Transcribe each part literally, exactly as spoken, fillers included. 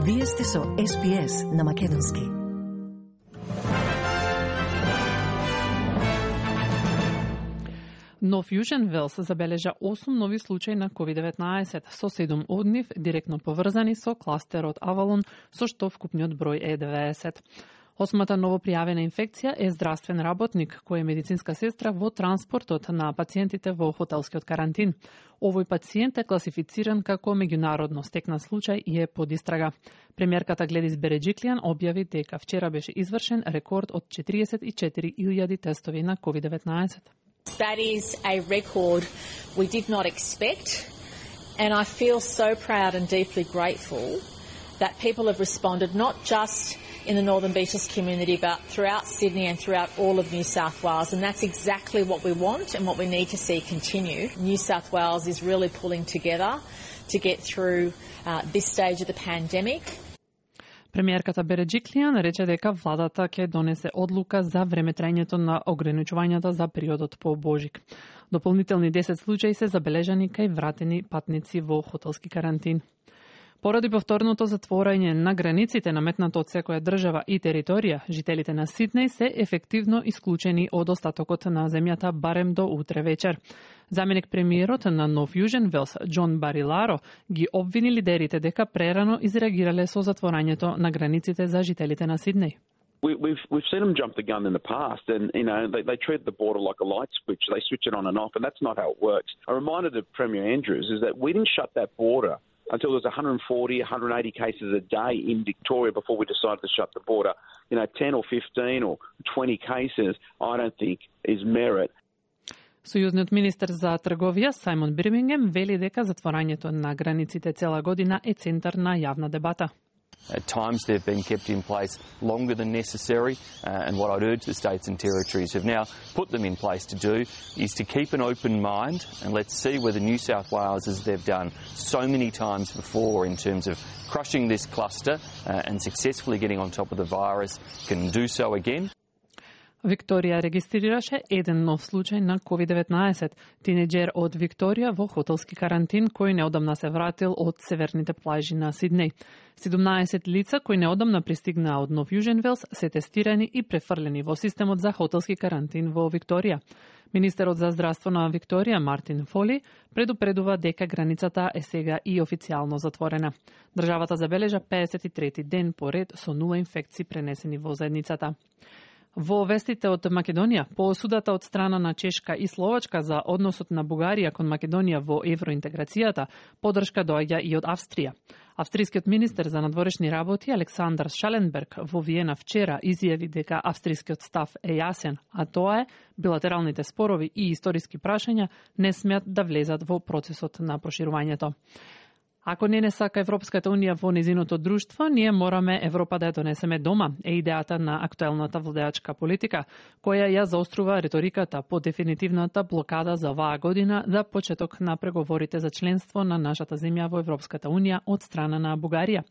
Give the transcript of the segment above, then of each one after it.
Вие сте со Ес Би Ес на македонски. Нов Јужен Велс забележа осум нови случаи на ковид деветнаесет, со седум од нив директно поврзани со кластерот Авалон, со што вкупниот број е деветдесет. Осмата новопријавена инфекција е здравствен работник, кој е медицинска сестра во транспортот на пациентите во хотелскиот карантин. Овој пациент е класифициран како меѓународно стекнат случај и е под истрага. Премиерката Гледис Береджиклијан објави дека вчера беше извршен рекорд од четириесет и четири илјади тестови на ковид деветнаесет. That is a record we did not expect, and I feel so proud and deeply grateful that people have responded not just in the Northern Beaches community, but throughout Sydney and throughout all of New South Wales, and that's exactly what we want and what we need to see continue. New South Wales is really pulling together to get through uh, this stage of the pandemic. Премиерката Береджиклијан рече дека владата ќе донесе одлука за времетрајањето на ограничувањата за периодот по Божик. Дополнителни десет случаи се забележани кај вратени патници во хотелски карантин. Поради повторното затворање на границите наметнато од секоја држава и територија, жителите на Сиднеј се ефективно исклучени од остатокот на земјата барем до утре вечер. Заменик премиерот на Нов Јужен Велс, Џон Бариларо, ги обвини лидерите дека прерано изреагирале со затворањето на границите за жителите на Сиднеј. We, we've we've seen them jump the gun in the past, and you know they, they treat the border like a light switch. They switch it on and off, and that's not how it works. A reminder to Premier Andrews is that we didn't shut that border until there was one hundred forty, one hundred eighty cases a day in Victoria before we decided to shut the border. You know, ten or fifteen or twenty cases, I don't think is merit. Сојузниот министер за трговија Сајмон Бирмингем вели дека затворањето на границите цела година е центар на јавна дебата. At times they've been kept in place longer than necessary, uh, and what I'd urge the states and territories who've now put them in place to do is to keep an open mind, and let's see whether New South Wales, as they've done so many times before in terms of crushing this cluster uh, and successfully getting on top of the virus, can do so again. Викторија регистрираше еден нов случај на ковид деветнаесет, тинеџер од Викторија во хотелски карантин кој неодамна се вратил од северните плажи на Сиднеј. седумнаесет лица кои неодамна пристигнаа од Нов Јужен Велс се тестирани и префрлени во системот за хотелски карантин во Викторија. Министерот за здравство на Викторија, Мартин Фоли, предупредува дека границата е сега и официјално затворена. Државата забележа педесет и трети ден поред со нула инфекции пренесени во заедницата. Во вестите од Македонија, по осудата од страна на Чешка и Словачка за односот на Бугарија кон Македонија во евроинтеграцијата, поддршка доаѓа и од Австрија. Австрискиот министер за надворешни работи Александар Шаленберг во Виена вчера изјави дека австрискиот став е јасен, а тоа е билатералните спорови и историски прашања не смеат да влезат во процесот на проширувањето. Ако не не сака Европската унија во незиното друштво, ние мораме Европа да ја донесеме дома, е идејата на актуелната владеачка политика, која ја заострува риториката по дефинитивната блокада за оваа година за почеток на преговорите за членство на нашата земја во Европската унија од страна на Бугарија.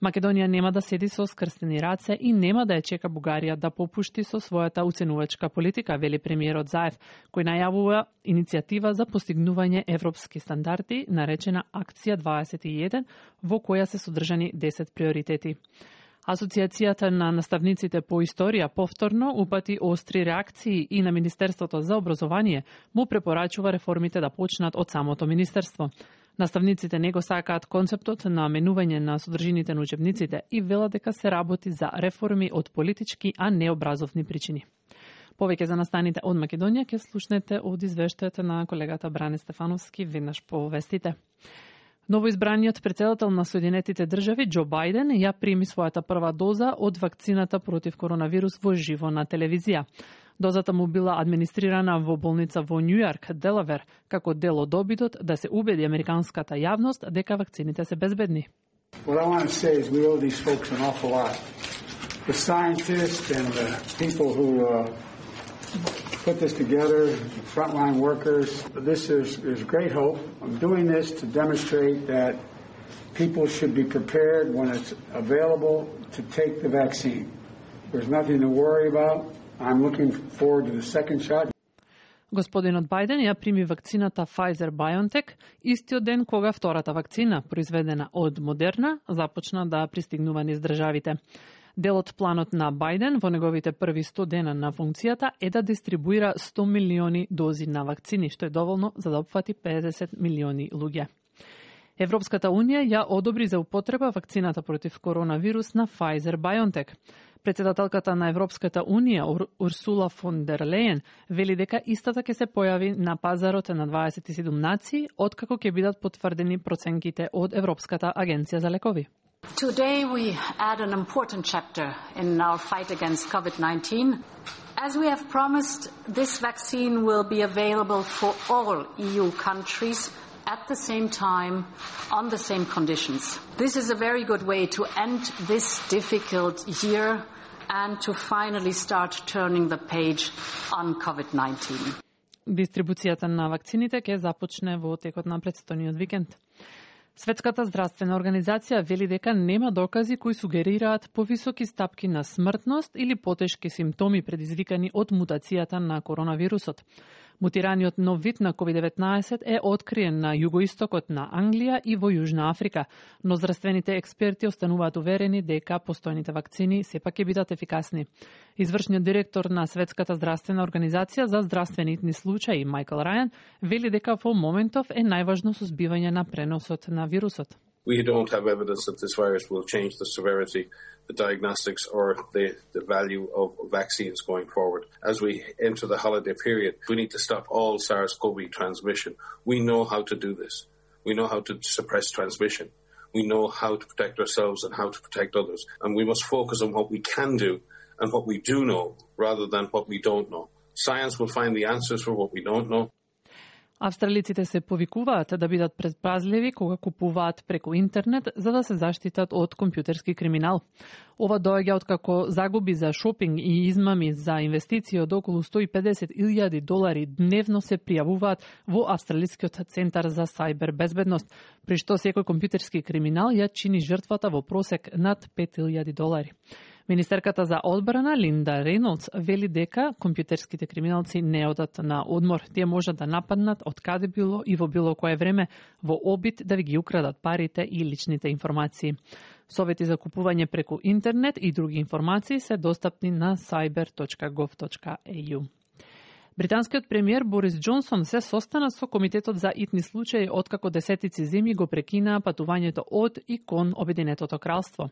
Македонија нема да седи со скрстени раце и нема да ја чека Бугарија да попушти со својата уценувачка политика, вели премиерот Заев, кој најавува иницијатива за постигнување европски стандарди, наречена Акција дваесет и еден, во која се содржани десет приоритети. Асоцијацијата на наставниците по историја повторно упати остри реакции и на Министерството за образование му препорачува реформите да почнат од самото министерство. Наставниците не го сакаат концептот на менување на содржините на учебниците и велат дека се работи за реформи од политички, а не образовни причини. Повеќе за настаните од Македонија ќе слушнете од извештајот на колегата Бране Стефановски веднаш по вестите. Новоизбраниот претседател на Соединетите држави Џо Бајден ја прими својата прва доза од вакцината против коронавирус во живо на телевизија. Дозата му била администрирана во болница во Њујорк, Делавер, како дел од обидот да се убеди американската јавност дека вакцините се безбедни. What I want to say is we owe these folks an awful lot. The scientists and the people who uh, put this together, the frontline workers. This is, is great hope. I'm doing this to demonstrate that people should be prepared when it's available to take the vaccine. There's nothing to worry about. I'm looking forward to the second shot. Господинот Бајден ја прими вакцината Pfizer-BioNTech истиот ден кога втората вакцина, произведена од Модерна, започна да пристигнува низ државите. Дел од планот на Бајден во неговите први сто дена на функцијата е да дистрибуира сто милиони дози на вакцини, што е доволно за да опфати педесет милиони луѓе. Европската Унија ја одобри за употреба вакцината против коронавирус на Pfizer-BioNTech. Председателката на Европската Унија, Урсула фон дер Лејен, вели дека истата ќе се појави на пазарот на дваесет и седум нации, откако ќе бидат потврдени проценките од Европската агенција за лекови. Today we add an important chapter in our fight against COVID nineteen. As we have promised, this vaccine will be available for all E U countries at the same time, on the same conditions. This is a very good way to end this difficult year and to finally start turning the page on COVID nineteen. Дистрибуцијата на вакцините ќе започне во текот на претстојниот викенд. Светската здравствена организација вели дека нема докази кои сугерираат повисоки стапки на смртност или потешки симптоми предизвикани од мутацијата на коронавирусот. Мутираниот нов вид на ковид деветнаесет е откриен на југоистокот на Англија и во Јужна Африка, но здравствените експерти остануваат уверени дека постојните вакцини сепак ќе бидат ефикасни. Извршниот директор на Светската здравствена организација за здравствените случаи Майкл Рајан вели дека во моментов е најважно сузбивање на преносот на вирусот. We don't have evidence that this virus will change the severity, the diagnostics or the, the value of vaccines going forward. As we enter the holiday period, we need to stop all SARS-C o V transmission. We know how to do this. We know how to suppress transmission. We know how to protect ourselves and how to protect others. And we must focus on what we can do and what we do know rather than what we don't know. Science will find the answers for what we don't know. Австралиците се повикуваат да бидат предпазливи кога купуваат преку интернет за да се заштитат од компјутерски криминал. Ова доаѓа откако загуби за шопинг и измами за инвестиции од околу сто и педесет илјади долари дневно се пријавуваат во Австралискиот центар за сајбер безбедност, при што секој компјутерски криминал ја чини жртвата во просек над пет илјади долари. Министерката за одбрана Линда Рейнолдс вели дека компјутерските криминалци не одат на одмор. Тие можат да нападнат од каде било и во било кое време во обид да ви ги украдат парите и личните информации. Совети за купување преку интернет и други информации се достапни на cyber точка gov точка e u. Британскиот премиер Борис Џонсон се состана со Комитетот за итни случаи откако десетици земји го прекинаа патувањето од и кон Обединетото кралство.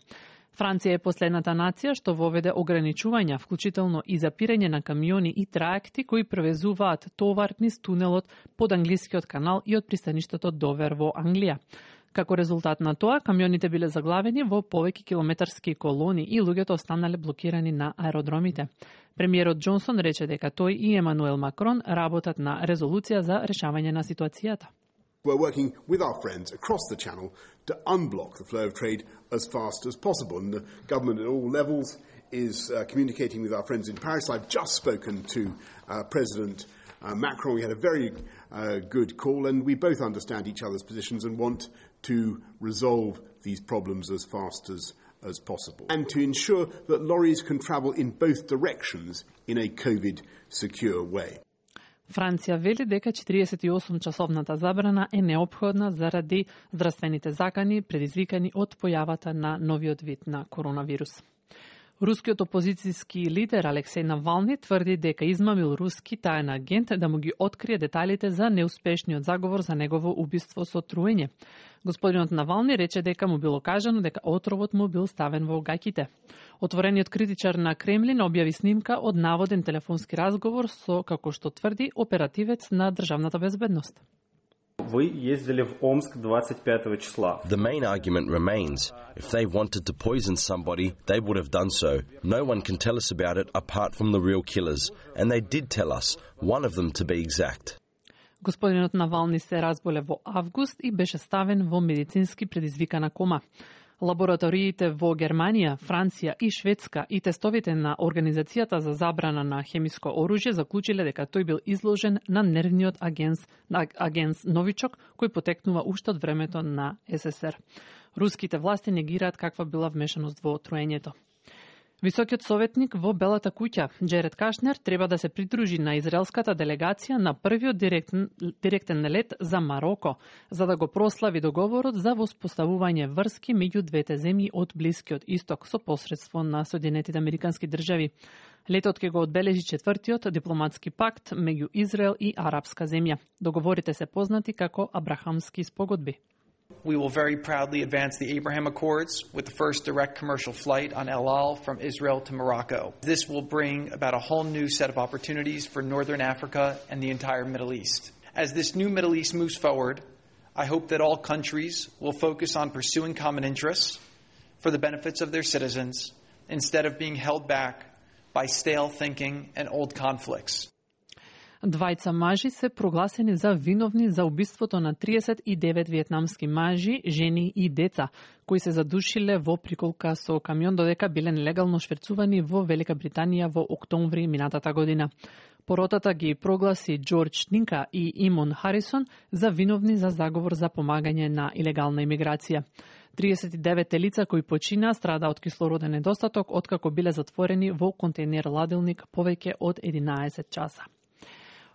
Франција е последната нација што воведе ограничувања, вклучително и запирање на камиони и траекти кои превезуваат товар низ тунелот под англискиот канал и од пристаништето Довер во Англија. Како резултат на тоа, камионите биле заглавени во повеќе километарски колони и луѓето останале блокирани на аеродромите. Премиерот Џонсон рече дека тој и Емануел Макрон работат на резолуција за решавање на ситуацијата. We're working with our friends across the Channel to unblock the flow of trade as fast as possible. And the government at all levels is uh, communicating with our friends in Paris. I've just spoken to uh, President uh, Macron. We had a very uh, good call, and we both understand each other's positions and want to resolve these problems as fast as, as possible. And to ensure that lorries can travel in both directions in a COVID-secure way. Франција вели дека четириесет и осум часовната забрана е неопходна заради здравствените закани предизвикани од појавата на новиот вид на коронавирус. Рускиот опозицијски лидер Алексеј Навални тврди дека измамил руски таен агент да му ги открие деталите за неуспешниот заговор за негово убиство со труење. Господинот Навални рече дека му било кажано дека отровот му бил ставен во гаќите. Отворениот критичар на Кремлин објави снимка од наводен телефонски разговор со, како што тврди, оперативец на државната безбедност. Вы ездили в Омск двадцать пятого числа. The main argument remains. If they wanted to poison somebody, they would have done so. No one can tell us about it apart from the real killers. And they did tell us, one of them to be exact. Господинот Навални се разболе во август и беше ставен во медицински предизвикана кома. Лабораториите во Германија, Франција и Шведска и тестовите на Организацијата за забрана на хемиско оружје заклучиле дека тој бил изложен на нервниот агенс, агенс новичок кој потекнува уште од времето на ес ес ер. Руските власти негираат каква била вмешаност во труењето. Високиот советник во Белата куќа, Джеред Кашнер, треба да се придружи на израелската делегација на првиот директен, директен лет за Мароко, за да го прослави договорот за воспоставување врски меѓу двете земји од Блискиот Исток со посредство на Соединетите Американски држави. Летот ќе го одбележи четвртиот дипломатски пакт меѓу Израел и арапска земја. Договорите се познати како Абрахамски спогодби. We will very proudly advance the Abraham Accords with the first direct commercial flight on El Al from Israel to Morocco. This will bring about a whole new set of opportunities for Northern Africa and the entire Middle East. As this new Middle East moves forward, I hope that all countries will focus on pursuing common interests for the benefits of their citizens instead of being held back by stale thinking and old conflicts. Двајца мажи се прогласени за виновни за убиството на триесет и девет виетнамски мажи, жени и деца, кои се задушиле во приколка со камион додека биле нелегално шверцувани во Велика Британија во октомври минатата година. Поротата ги прогласи Џорџ Нинка и Имон Харисон за виновни за заговор за помагање на илегална имиграција. триесет и девет лица кои почина страда од кислороден недостаток откако биле затворени во контейнер ладилник повеќе од единаесет часа.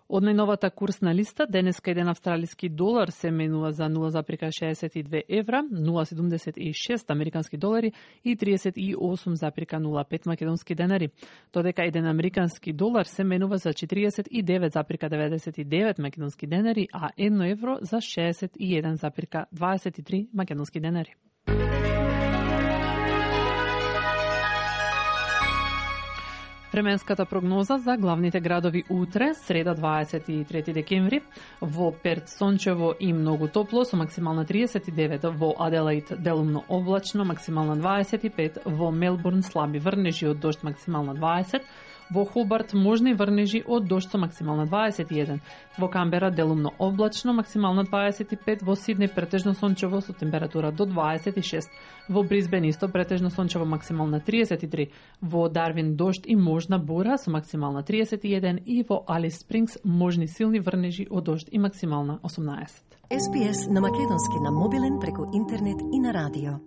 Од најновата курсна листа, денеска еден австралиски долар се менува за нула зарез шеесет и две евра, нула зарез седумдесет и шест американски долари и триесет и осум зарез нула пет македонски денари, додека еден американски долар се менува за четириесет и девет зарез деветдесет и девет македонски денари, а едно евро за шеесет и еден зарез дваесет и три македонски денари. Временската прогноза за главните градови утре, среда дваесет и трети декември, во Перт сончево и многу топло со максимална триесет и девет, во Аделаид делумно облачно, максимална дваесет и пет, во Мелбурн слаби врнежи од дожд, максимална дваесет, во Хобарт можни врнежи од дожд со максимална дваесет и еден, во Камбера делумно облачно, максимална дваесет и пет, во Сиднеј претежно сончево со температура до дваесет и шест, во Брисбен исто претежно сончево максимална триесет и три, во Дарвин дожд и можна бура со максимална триесет и еден и во Алис Спрингс можни силни врнежи од дожд и максимална осумнаесет. Ес Би Ес на македонски на мобилен преку интернет и на радио.